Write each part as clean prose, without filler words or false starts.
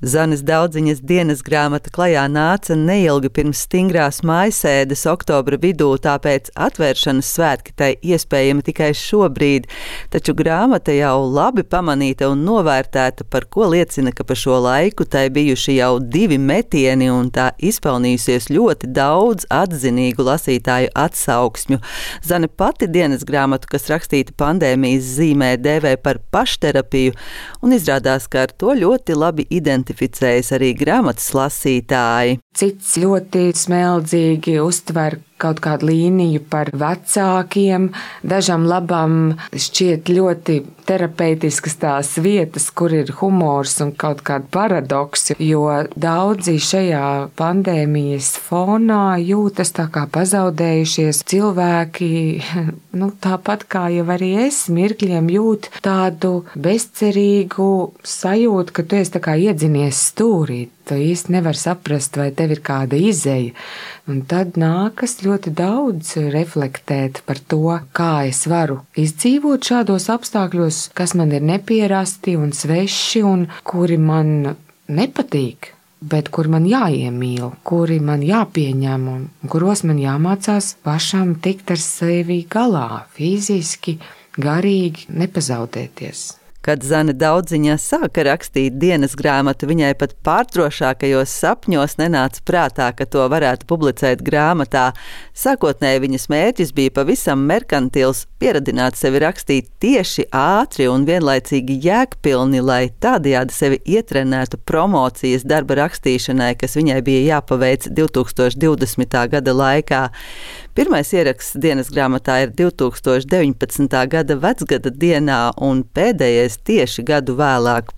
Zanes Daudziņas dienas grāmata klajā nāca neilgi pirms stingrās mājasēdes oktobra vidū, tāpēc atvēršanas svētki tai iespējami tikai šobrīd, taču grāmata jau labi pamanīta un novērtēta, par ko liecina, ka pa šo laiku tai bijuši jau 2 metieni un tā izpelnījusies ļoti daudz atzinīgu lasītāju atsauksmju. Zane pati dienas grāmatu, kas rakstīta pandēmijas zīmē, dēvē par pašterapiju, un izrādās, ka ar to ļoti labi identificējas arī grāmatas lasītāji. Cits ļoti smeldzīgi uztver kaut kādu līniju par vecākiem, dažam labam šķiet ļoti terapeitiskas tās vietas, kur ir humors un kaut kāda paradoksi, jo daudzi šajā pandēmijas fonā jūtas tā kā pazaudējušies cilvēki, tāpat kā jau arī es mirkļiem jūt tādu bezcerīgu sajūtu, ka tu esi tā kā iedzinies stūrī. Tu īsti nevar saprast, vai tev ir kāda izeja. Un tad nākas ļoti daudz reflektēt par to, kā es varu izdzīvot šādos apstākļos, kas man ir nepierasti un sveši un kuri man nepatīk, bet kuri man jāiemīl, kuri man jāpieņem un kuros man jāmācās pašam tikt ar sevi galā, fiziski, garīgi, nepazaudēties. Kad Zane Daudziņa sāka rakstīt dienas grāmatu, viņai pat pārtrošākajos sapņos nenāca prātā, ka to varētu publicēt grāmatā. Sākotnēji viņas mērķis bija pavisam merkantils, pieradināt sevi rakstīt tieši, ātri un vienlaicīgi jēgpilni, lai tādējādi sevi ietrenētu promocijas darba rakstīšanai, kas viņai bija jāpaveic 2020. gada laikā. Pirmais ieraksts dienas grāmatā ir 2019. gada vecgada dienā un pēdējais tieši gadu vēlāk.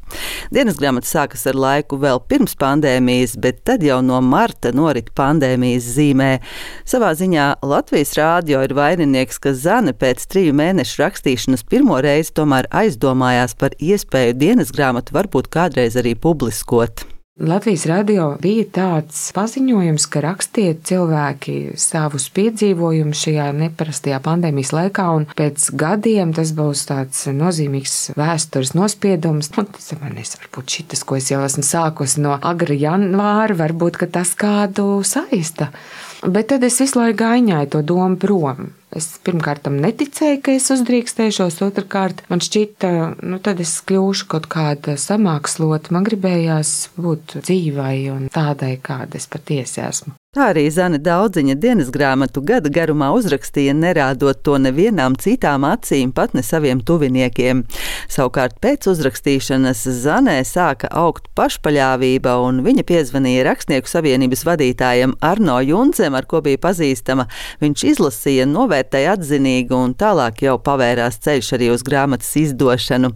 Dienas grāmata sākas ar laiku vēl pirms pandēmijas, bet tad jau no marta norit pandēmijas zīmē. Savā ziņā Latvijas Rādio ir vaininieks, ka Zane pēc 3 mēnešu rakstīšanas pirmo reizi tomēr aizdomājās par iespēju dienas grāmatu varbūt kādreiz arī publiskot. Latvijas Radio bija tāds paziņojums, ka rakstiet cilvēki savus piedzīvojumus šajā neparastajā pandēmijas laikā, un pēc gadiem tas būs tāds nozīmīgs vēstures nospiedums. Tas varbūt šitas, ko es jau esmu sākusi no agra janvāra, varbūt, ka tas kādu saista. Bet tad es visu laiku gaiņāju to domu prom. Es pirmkārt tam neticēju, ka es uzdrīkstēšos, otrkārt man šķita, tad es kļūšu kaut kāda samākslota. Man gribējās būt dzīvai un tādai, kāda es patiesi esmu. Tā arī Zane Daudziņa dienas grāmatu gada garumā uzrakstīja, nerādot to nevienām citām acīm, pat ne saviem tuviniekiem. Savukārt pēc uzrakstīšanas Zanē sāka augt pašpaļāvība, un viņa piezvanīja Rakstnieku savienības vadītājam Arno Jundzem, ar ko bija pazīstama. Viņš izlasīja, novērtēja atzinīgi, un tālāk jau pavērās ceļš arī uz grāmatas izdošanu.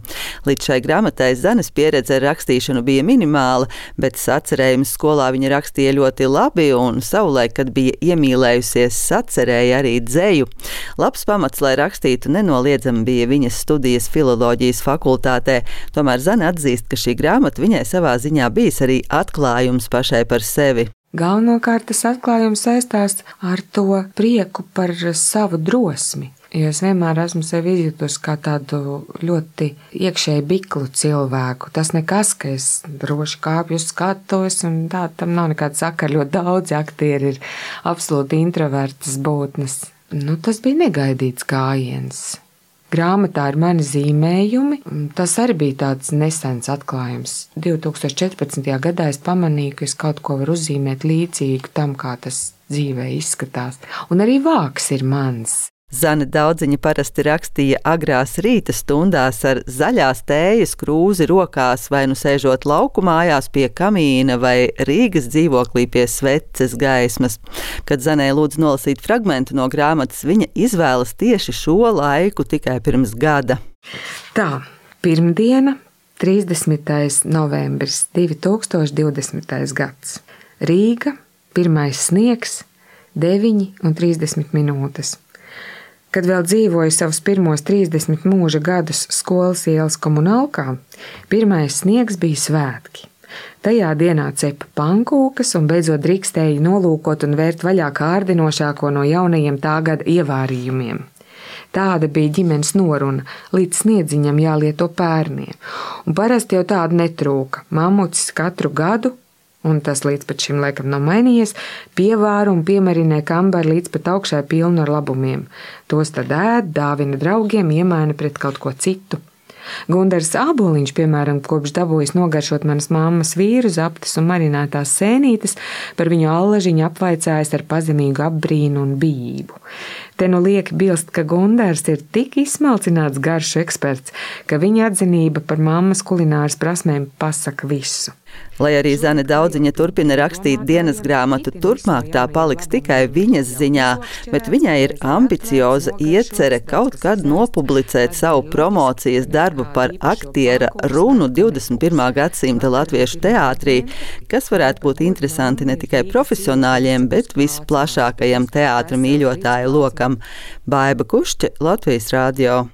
Līdz šai grāmatai Zanes pieredze ar rakstīšanu bija minimāla, bet sacerējumus skolā viņa rakstīja ļoti labi, un savulaik, kad bija iemīlējusies, sacerēja arī dzeju. Labs pamats, lai rakstītu, nenoliedzami bija viņas studijas filoloģijas fakultātē. Tomēr Zane atzīst, ka šī grāmata viņai savā ziņā bijis arī atklājums pašai par sevi. Galvenokārt tas atklājums saistās ar to prieku par savu drosmi. Jo es vienmēr esmu sevi izjutusi kā tādu ļoti iekšēji biklu cilvēku. Tas nekas, ka es droši kāpju uz skatuves, un tā tam nav nekāda sakara. Ļoti daudzi aktieri ir absolūti introvertas būtnes. Tas bija negaidīts gājiens. Grāmatā ir mani zīmējumi. Tas arī bija tāds nesens atklājums. 2014. gadā es pamanīju, ka es kaut ko varu uzzīmēt līdzīgu tam, kā tas dzīvē izskatās. Un arī vāks ir mans. Zane Daudziņa parasti rakstīja agrās rīta stundās ar zaļās tējas krūzi rokās, vai nu sēžot lauku mājās pie kamīna vai Rīgas dzīvoklī pie sveces gaismas. Kad Zanē lūdz nolasīt fragmentu no grāmatas, viņa izvēlas tieši šo laiku tikai pirms gada. Tā, pirmdiena, 30. novembris 2020. gads. Rīga, pirmais sniegs, 9:30 minūtes. Kad vēl dzīvoju savus pirmos 30 mūža gadus skolas ielas komunālkā, pirmais sniegs bija svētki. Tajā dienā cepa pankūkas un beidzot drīkstēja nolūkot un vērt vaļā kārdinošāko no jaunajiem tā gada ievārījumiem. Tāda bija ģimenes noruna, līdz sniedziņam jālieto pērniem. Un parasti jau tāda netrūka. Mamucis katru gadu, un tas līdz pat šim laikam nav mainījies, pievāra un piemarināja kambari līdz pat augšai pilnu ar labumiem. Tos tad ēd, dāvina draugiem, iemaina pret kaut ko citu. Gundars Āboliņš, piemēram, kopš dabūjis nogaršot manas mammas vīru zaptas un marinētās sēnītes, par viņu allažiņu apvaicājis ar pazemīgu apbrīnu un bijību. Te nu lieki bilst, ka Gundars ir tik izsmalcināts garšu eksperts, ka viņa atzinība par mammas kulināras prasmēm pasaka visu. Lai arī Zane Daudziņa turpina rakstīt dienas grāmatu, turpmāk tā paliks tikai viņas ziņā, bet viņai ir ambicioza iecerē kaut kad nopublicēt savu promocijas darbu par aktiera runu 21. gadsimta latviešu teātrī, kas varētu būt interesanti ne tikai profesionāļiem, bet visplašākajam teātra mīļotāju lokam. Baiba Kušķe, Latvijas Radio.